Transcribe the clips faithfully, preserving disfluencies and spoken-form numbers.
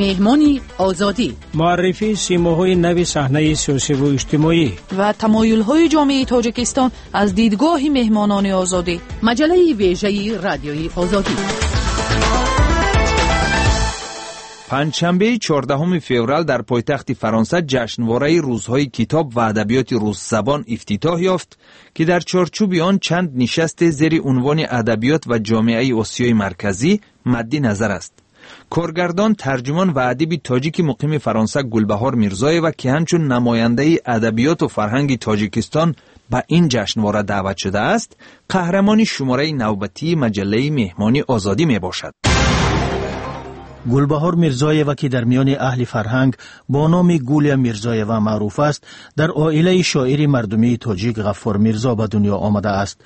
Меҳмони Озодӣ. Муаррифии симоҳои нави саҳнаи сиёсиву иҷтимоӣ ва тамоюлҳои ҷомеаи Тоҷикистон аз дидгоҳи меҳмонони Озодӣ. Маҷаллаи вежаи Радиои Озодӣ. Панҷшанбеи чордаҳуми феврал дар пойтахти Фаронса ҷашнвораи рӯзҳои китоб ва адабиёти русзабон ифтитоҳ ёфт, ки дар чорчӯби он чанд нишасте зери унвони адабиёт ва ҷомеаи Осиёи Марказӣ мадди назар аст. Коргардон, тарҷумон ва адиби тоҷики муқими Фаронса Гулбаҳор Мирзоева, ки ҳамчун намояндаи адабиёту фарҳанги Тоҷикистон ба ин ҷашнвора даъват шудааст, қаҳрамони шумораи навбатии маҷаллаи Меҳмони Озодӣ мебошад. Гулбаҳор Мирзоева, ки дар миёни аҳли фарҳанг бо номи Гулия Мирзоева маъруф аст, дар оилаи шоири мардумии тоҷик Ғаффор Мирзо ба дунё омадааст.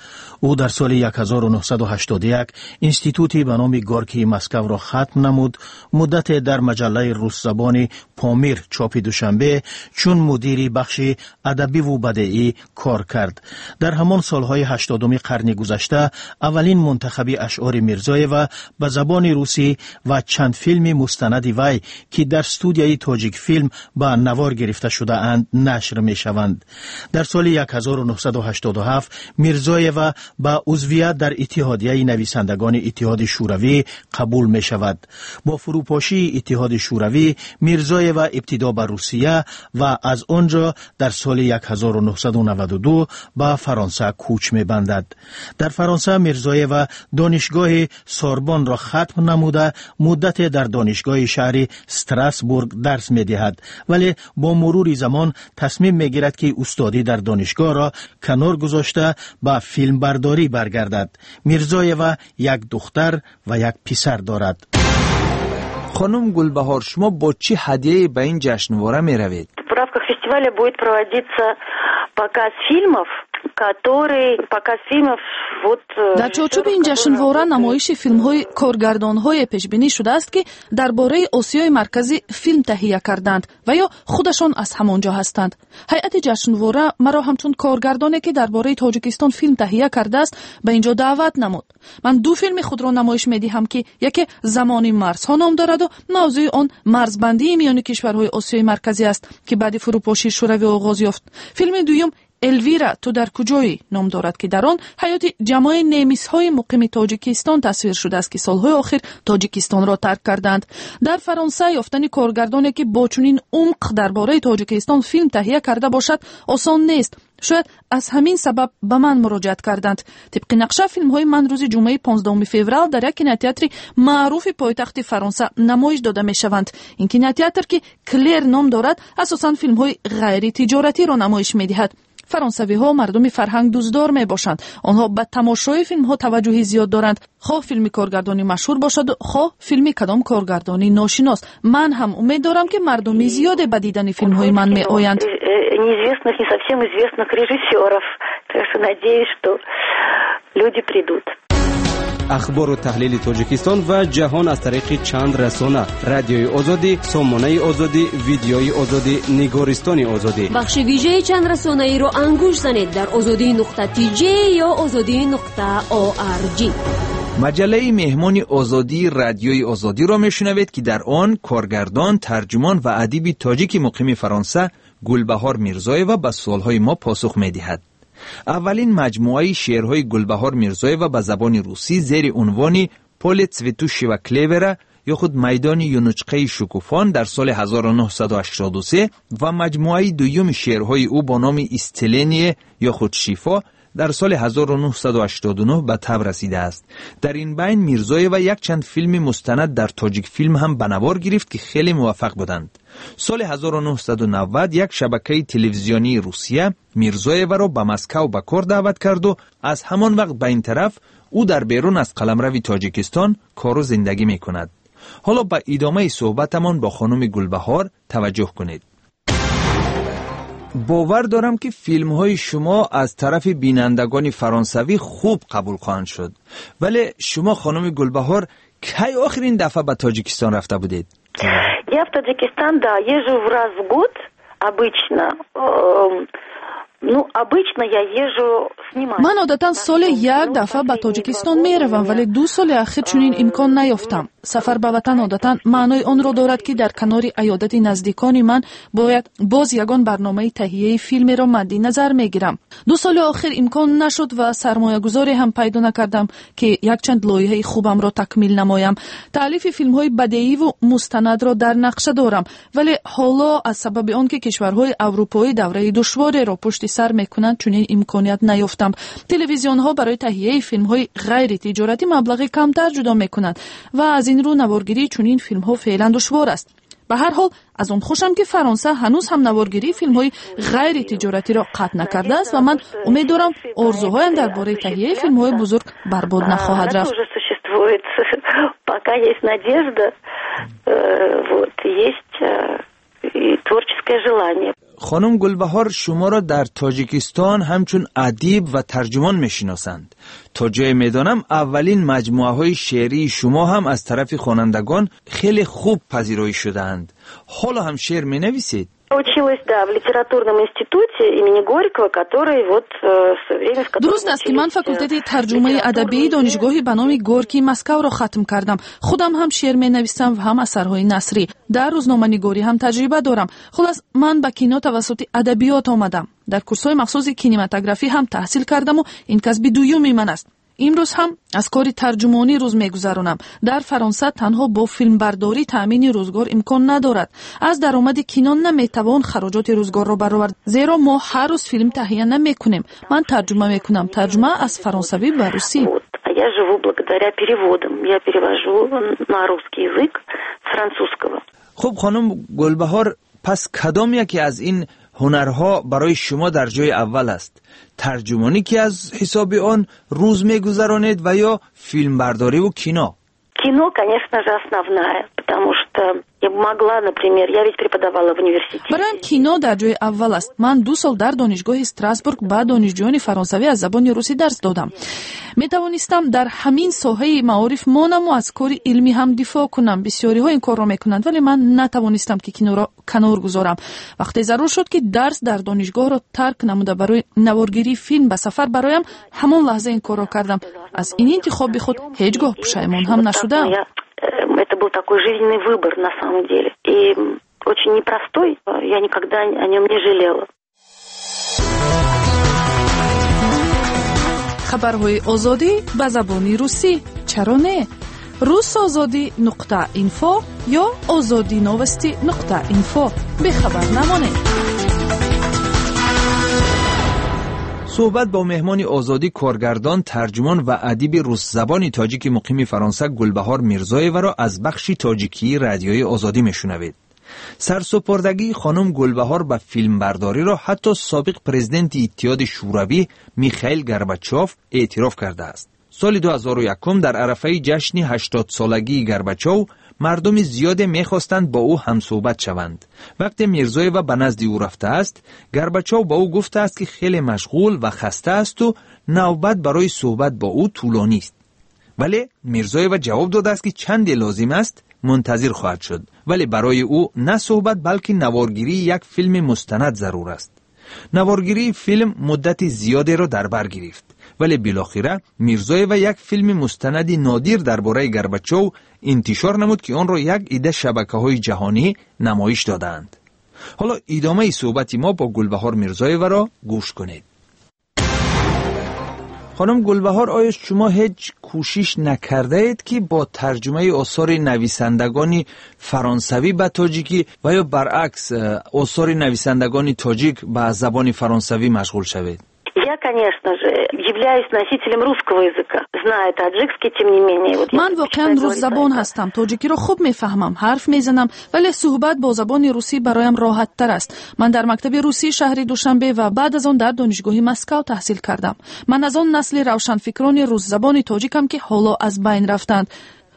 Ӯ дар соли ҳазору нӯҳсаду ҳаштоду як институти ба номи Горкии Москавро хатм намуд. Муддате дар маҷаллаи русзабони «Помир» чопи Душанбе чун мудири бахши адабиву бадеӣ кор кард. Дар ҳамон солҳои ҳаштодуми қарни гузашта аввалин мунтахаби ашъори Мирзоева ба забони русӣ ва чанд филми мустанади вай, ки дар студияи Тоҷикфилм ба навор гирифта шудаанд, нашр мешаванд. Дар соли ҳазору нӯҳсаду ҳаштоду ҳафт Мирзоева ба узвият дар Иттиҳодияи нависандагони Иттиҳоди Шӯравӣ қабул мешавад. Бо фурӯпошии Иттиҳоди Шӯравӣ Мирзоева ибтидо ба Русия ва аз он ҷо дар соли ҳазору нӯҳсаду наваду ду ба Фаронса кӯч мебандад. Дар Фаронса Мирзоева Донишгоҳи Сорбонро хатм намуда, муддате дар донишгоҳи шаҳри Страсбург дарс медиҳад, вале бо мурури замон тасмим мегирад, ки устодӣ дар донишгоҳро канор гузошта, ба филмбардорӣ баргардад. Мирзоева як духтар ва як писар дорад. Хонум Гулбаҳор, шумо бо чӣ ҳадияе ба ин ҷашнвора меравед? В рамках фестиваля будет проводиться показ фильмов, который показ фильмов вот э, Дар чорчӯби ин ҷашнвора намоиши филмҳои коргардонҳое пешбинӣ шудааст, ки дар бораи Осиёи Марказӣ филм таҳия карданд ва ё худашон аз ҳамон ҷо ҳастанд. Ҳайати ҷашнвора маро ҳамчун коргардоне, ки дар бораи Тоҷикистон филм таҳия кардааст, ба ин ҷо даъват намуд. Ман ду филми худро намоиш медиҳам, ки яке «Замони марзҳо» ном дораду мавзӯи он марзбандии миёни кишварҳои Осиёи Марказӣ аст, ки баъди фурӯпошии Шӯравӣ оғоз ёфт. Филми дуюм «Элвира, ту дар куҷоӣ» ном дорад, ки дар он ҳаёти ҷамоаи немисҳои муқими Тоҷикистон тасвир шудааст, ки солҳои охир Тоҷикистонро тарк карданд. Дар Фаронса ёфтани коргардоне, ки бо чунин умқ дар бораи Тоҷикистон филм таҳия карда бошад, осон нест. Шояд аз ҳамин сабаб ба ман муроҷиат карданд. Тибқи нақша, филмҳои ман рӯзи ҷумъаи понздаҳуми феврал дар як кинотеатри маъруфи пойтахти Фаронса намоиш дода мешаванд. Ин кинотеатр, ки «Клер» ном дорад, асосан филмҳои ғайритиҷоратиро намоиш медиҳад. Фаронсавиҳо мардуми фарҳангдӯстдор мебошанд. Онҳо ба тамошои филмҳо таваҷҷӯҳи зиёд доранд, хоҳ филми коргардони машҳур бошаду хоҳ филми кадом коргардони ношинос. Ман ҳам умед дорам, ки мардуми зиёде ба дидани филмҳои ман меоянд. э, неизвестных, не совсем известных режиссеров. Так что надеюсь, что люди придут. Ахбору таҳлили Тоҷикистон ва ҷаҳон аз тариқи чанд расона: Радиои Озодӣ, Сомонаи Озодӣ, Видеои Озодӣ, Нигористони Озодӣ. Бахши вижаи чандрасонаиро ангушт занед дар озодӣ нуқта тж ё озодӣ нуқта орг. Маҷаллаи Меҳмони Озодии Радиои Озодиро мешунавед, ки дар он коргардон, тарҷумон ва адиби тоҷики муқими Фаронса Гулбаҳор Мирзоева ба суолҳои мо посух медиҳад. Аввалин маҷмӯаи шеърҳои Гулбаҳор Мирзоева ба забони русӣ зери унвони «Поле цветущего клевера» ё худ «Майдони юнучқаи шукуфон» дар соли ҳазору нӯҳсаду ҳаштоду се ва маҷмӯаи дуюми шеърҳои ӯ бо номи «Исцеление» ё худ «Шифо» дар соли ҳазору нӯҳсаду ҳаштоду нӯҳ ба таб расидааст. Дар ин байн Мирзоева якчанд филми мустанад дар Тоҷикфилм ҳам ба навор гирифт, ки хеле муваффақ буданд. Соли ҳазору нӯҳсаду навад як шабакаи телевизионии Русия Мирзоеваро ба Москав ба кор даъват карду аз ҳамон вақт ба ин тараф ӯ дар берун аз қаламрави Тоҷикистон кору зиндагӣ мекунад. Ҳоло ба идомаи суҳбатамон бо хонуми Гулбаҳор таваҷҷӯҳ кунед. Бовар дорам, ки филмҳои шумо аз тарафи бинандагони фаронсавӣ хуб қабул хоҳанд шуд, вале шумо, хонуми Гулбаҳор, кай охирин дафъа ба Тоҷикистон рафта будед? Я в Таджикистан, да, езжу в раз в год обычно. Эм, Ну, обычно я езжу снимать. Ман одатан соли як дафъа ба Тоҷикистон меравам, вале ду соли ахир чунин имкон наёфтам. Сафар ба ватан одатан маънои онро дорад, ки дар канори аёдати наздикони ман бояд боз ягон барномаи таҳияи филмеро мадди назар мегирам. Ду соли охир имкон нашуд ва сармоягузоре ҳам пайдо накардам, ки якчанд лоиҳаи хубамро такмил намоям. Таълифи филмҳои бадеиву мустанадро дар нақша дорам, вале ҳоло аз сабаби он ки кишварҳои аврупоӣ давраи душвореро пушти сар мекунанд, чунин имконият наёфтам. Телевизионҳо барои таҳияи филмҳои ғайритиҷоратӣ маблағи камтар ҷудо мекунанд ва аз ин рӯ наворгирии чунин филмҳо феълан душвор аст. Ба ҳар ҳол аз он хушам, ки Фаронса ҳанӯз ҳам наворгирии филмҳои ғайритиҷоратиро қатъ накардааст ва ман умед дорам, орзуҳоям дар бораи таҳияи филмҳои бузург барбод нахоҳад рафт. Пока есть надежда, вот, есть и творческое желание. Хонум Гулбаҳор, шуморо дар Тоҷикистон ҳамчун адиб ва тарҷумон мешиносанд. То ҷое медонам, аввалин маҷмӯаҳои шеърии шумо ҳам аз тарафи хонандагон хеле хуб пазироӣ шудаанд. Ҳоло ҳам шеър менависед? Училась, да, в литературном институте имени Горького, который вот в свое время... Дуруст аст, ки ман факултети тарҷумаи адабии донишгоҳи ба номи Горький Москавро хатм кардам. Худам ҳам шеър менависам ва ҳам асарҳои насрӣ. Дар рӯзноманигорӣ ҳам таҷриба дорам. Хулас, ман ба кино тавассути адабиёт омадам. Дар курсҳои махсуси кинематографӣ ҳам таҳсил кардаму ин касби дуюми ман аст. Имрӯз ҳам аз кори тарҷумонӣ рӯз мегузаронам. Дар Фаронса танҳо бо филмбардорӣ таъмини рӯзгор имкон надорад. Аз даромади кино наметавон хароҷоти рӯзгорро баровард, зеро мо ҳар рӯз филм таҳия намекунем. Ман тарҷума мекунам, тарҷума аз фаронсавӣ ба русӣ. А я живу благодаря переводам. Я перевожу на русский язык с французского. Хуб, хонум Гулбаҳор, пас кадом яке аз ин ҳунарҳо барои шумо дар ҷои аввал аст? Тарҷумонӣ, ки аз ҳисоби он рӯз мегузаронед, ва ё филмбардориву кино? Кино, конечно же, основная, потому что я могла, например, я ведь преподавала в университете. Бароям кино дар ҷои аввал аст. Ман ду сол дар донишгоҳи Страсбург ба донишҷӯёни фаронсавӣ аз забони русӣ дарс додам. Метавонистам дар ҳамин соҳаи маориф монаму аз кори илмӣ ҳам дифоъ кунам. Бисёриҳо ин корро мекунанд, вале ман натавонистам, ки киноро канор гузорам. Вақте зарур шуд, ки дарс дар донишгоҳро тарк намуда барои наворгирии филм ба сафар бароям, ҳамон лаҳза ин корро кардам. Аз ин интихоби худ ҳеҷ гоҳ пушаймон ҳам нашудам. Это был такой жизненный выбор на самом деле. И очень непростой, я никогда о нем не жалела. Хабарҳои Озодӣ ба забони русӣ. Чаро не? Русозодӣ нуқта инфо ё озодӣ новости нуқта инфо. Бехабар намонед. Суҳбат бо меҳмони Озодӣ, коргардон, тарҷумон ва адиби русзабони тоҷики муқими Фаронса Гулбаҳор Мирзоеваро аз бахши тоҷикии Радиои Озодӣ мешунавед. Сарсупурдагии хонум Гулбаҳор ба филмбардориро ҳатто собиқ президенти Иттиҳоди Шӯравӣ Михаил Горбачов эътироф кардааст. Соли ду ҳазору якум дар арафаи ҷашни ҳаштодсолагии Горбачов мардуми зиёде мехостанд бо ӯ ҳамсӯҳбат шаванд. Вақте Мирзоева ба назди ӯ рафтааст, Горбачов ба ӯ гуфтааст, ки хеле машғул ва хаста асту навбат барои суҳбат бо ӯ тӯлонист. Вале Мирзоева ҷавоб додааст, ки чанде лозим аст мунтазир хоҳад шуд, вале барои ӯ на суҳбат, балки наворгирии як филми мустанад зарур аст. Наворгирии филм муддати зиёдеро дар бар гирифт, вале билохира Мирзоева як филми мустанади нодир дар бораи Горбачов интишор намуд, ки онро як ида шабакаҳои ҷаҳонӣ намоиш додаанд. Ҳоло идомаи суҳбати мо бо Гулбаҳор Мирзоеваро гӯш кунед. Хонум Гулбаҳор, оё шумо ҳеҷ кӯшиш накардаед, ки бо тарҷумаи осори нависандагони фаронсавӣ ба тоҷикӣ ва ё баръакс осори нависандагони тоҷик ба забони фаронсавӣ машғул шавед? Я, конечно же, являюсь носителем русского языка, знаю таджикский, тем не менее. Вот ман воқеан русзабон ҳастам, тоҷикиро хуб мефаҳмам, ҳарф мезанам, вале суҳбат бо забони русӣ бароям роҳаттар аст. Ман дар мактаби русии шаҳри Душанбе ва баъд аз он дар донишгоҳи Москав таҳсил кардам. Ман аз он насли равшанфикрони русзабони тоҷикам, ки ҳоло аз байн рафтанд.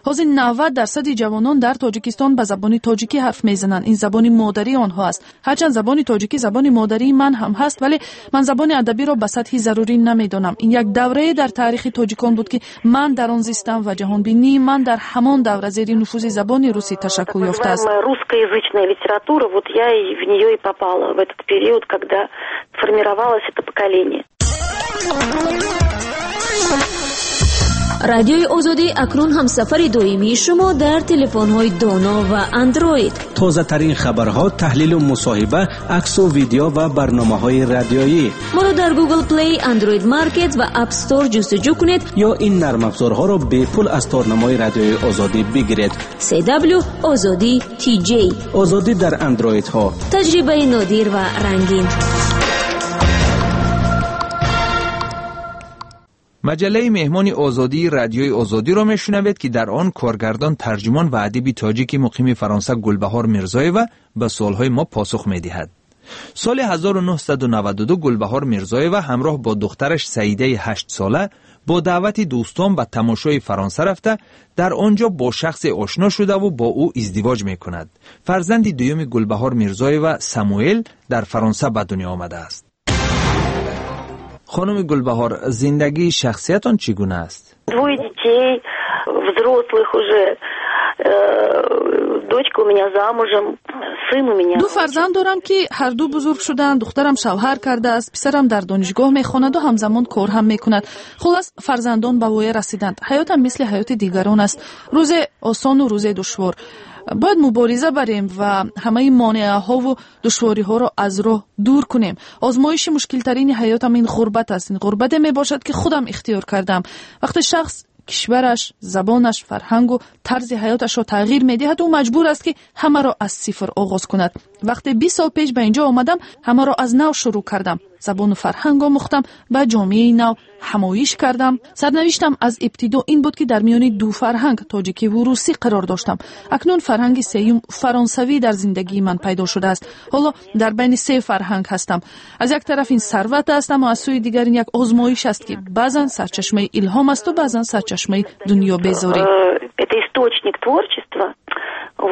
Ҳозир навад дарсади ҷавонон дар Тоҷикистон ба забони тоҷикӣ ҳарф мезананд. Ин забони модарии онҳо аст. Ҳарчанд забони тоҷикӣ забони модарии ман ҳам ҳаст, вале ман забони адабиро ба сатҳи зарурӣ намедонам. Ин як даврае дар таърихи тоҷикон буд, ки ман дар он зистам ва ҷаҳонбинии ман дар ҳамон давра зери нуфузи забони русӣ ташаккул ёфтааст. Русскоязычная литература, вот я и в нее и попала в этот период, когда формировалось это поколение. Радиои Озодӣ акнун ҳамсафари доимии шумо дар телефонҳои доно ва андроид. Тозатарин хабарҳо, таҳлилу мусоҳиба, аксу видео ва барномаҳои радиоӣ. Моро дар Google Play, Android Market ва App Store ҷустуҷӯ кунед ё ин нармафзорҳоро бепул аз торнамои Радиои Озодӣ бигиред. си дабл ю Озодӣ ти ҷей. Озодӣ дар андроидҳо. Таҷрибаи нодир ва рангин. Маҷаллаи меҳмони озодии Радиои Озодиро мешунавед, ки дар он коргардон, тарҷумон ва адиби тоҷики муқими Фаронса Гулбаҳор Мирзоева ба суолҳои мо посух медиҳад. Соли ҳазору нӯҳсаду наваду ду Гулбаҳор Мирзоева ҳамроҳ бо духтараш Саидаи ҳаштсола бо даъвати дӯстон ба тамошои Фаронса рафта, дар он ҷо бо шахсе ошно шудаву бо ӯ издивоҷ мекунад. Фарзанди дуюми Гулбаҳор Мирзоева Самуэл дар Фаронса ба дунё омадааст. Хонуми Гулбаҳор, зиндагии шахсиятон чӣ гуна аст? Двое детей, взрослых уже. Дочка у меня замужем, сын у меня. Ду фарзанд дорам, ки ҳарду бузург шуданд. Духтарам шавҳар кардааст, писарам дар донишгоҳ мехонаду ҳамзамон кор ҳам мекунад. Хулас, фарзандон ба воя расиданд. Ҳаётам мисли ҳаёти дигарон аст. Рӯзе осону рӯзе душвор. Бояд мубориза барем ва ҳамаи монеаҳову душвориҳоро аз роҳ дур кунем. Озмоиши мушкилтарини ҳаётам ин ғурбат аст. Ин ғурбате мебошад, ки худам ихтиёр кардам. Вақте шахс кишвараш, забонаш, фарҳангу тарзи ҳаёташро тағйир медиҳад, ӯ маҷбур аст, ки ҳамаро аз сифр оғоз кунад. Вақте бист сол пеш ба инҷо омадам, ҳамаро аз нав шурӯъ кардам. Забону фарҳанг омӯхтам, ба ҷомеаи нав ҳамоиш кардам. Сарнавиштам аз ибтидо ин буд, ки дар миёни ду фарҳанг, тоҷикӣ ву русӣ, қарор доштам. Акнун фарҳанги сеюм, фаронсавӣ, дар зиндагии ман пайдо шудааст. Ҳоло дар байни се фарҳанг ҳастам. Аз як тараф ин сарват аст, аммо аз сӯи дигар ин як озмоиш аст, ки баъзан сарчашмаи илҳом асту баъзан сарчашмаи дунёбезорӣ. Это источник творчества,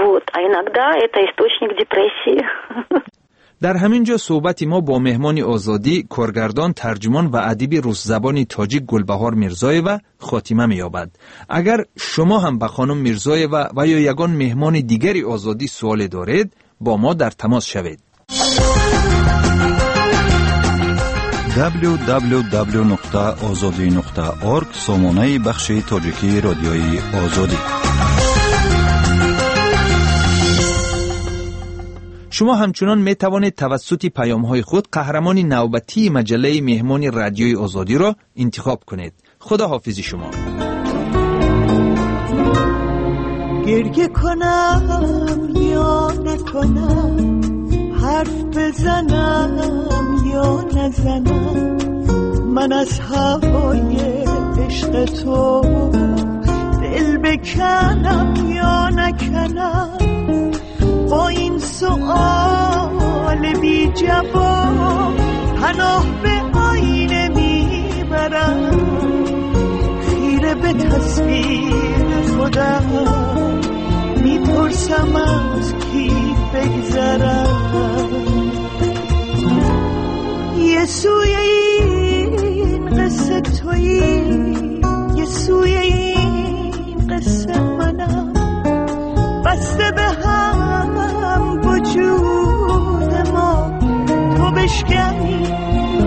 вот, а иногда это источник депрессии. Дар ҳамин ҷо суҳбати мо бо меҳмони озодӣ, коргардон, тарҷумон ва адиби русзабони тоҷик Гулбаҳор Мирзоева хотима меёбад. Агар шумо ҳам ба хонум Мирзоева ва ё ягон меҳмони дигари озодӣ суоле доред, бо мо дар тамос шавед. дабл ю дабл ю дабл ю нуқта озодӣ нуқта орг сомонаи бахши тоҷикии Радиои Озодӣ. Шумо ҳамчунон метавонед тавассути паёмҳои худ қаҳрамони навбатии маҷаллаи меҳмони Радиои Озодиро интихоб кунед. Худо ҳофизи шумо. گریه کنم یا نکنم، حرف بزنم یا نزنم، من از هوای عشق تو دل بکنم یا نکنم، با این سؤال بی جواب پناه به آینه میبرم، خیره به تصویر خودم میپرسم از کی بگذرم. یه سوی این قصه تویی، یه سوی این قصه منم، بسته به هم وجود ما، تو بشکنی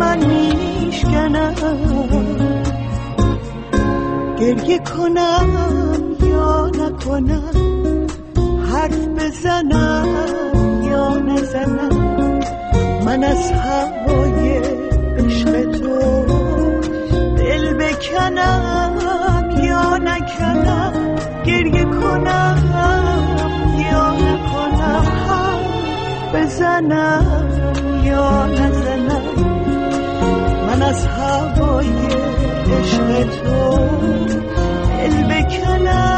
من میشکنم. گریه کنم یا نکنم، حرف بزنم یا نزنم، من از هوای عشق تو دل بکنم یا نکنم، گریه کنم یا نکنم، حرف بزنم یا نزنم، من از هوای عشق تو دل بکنم.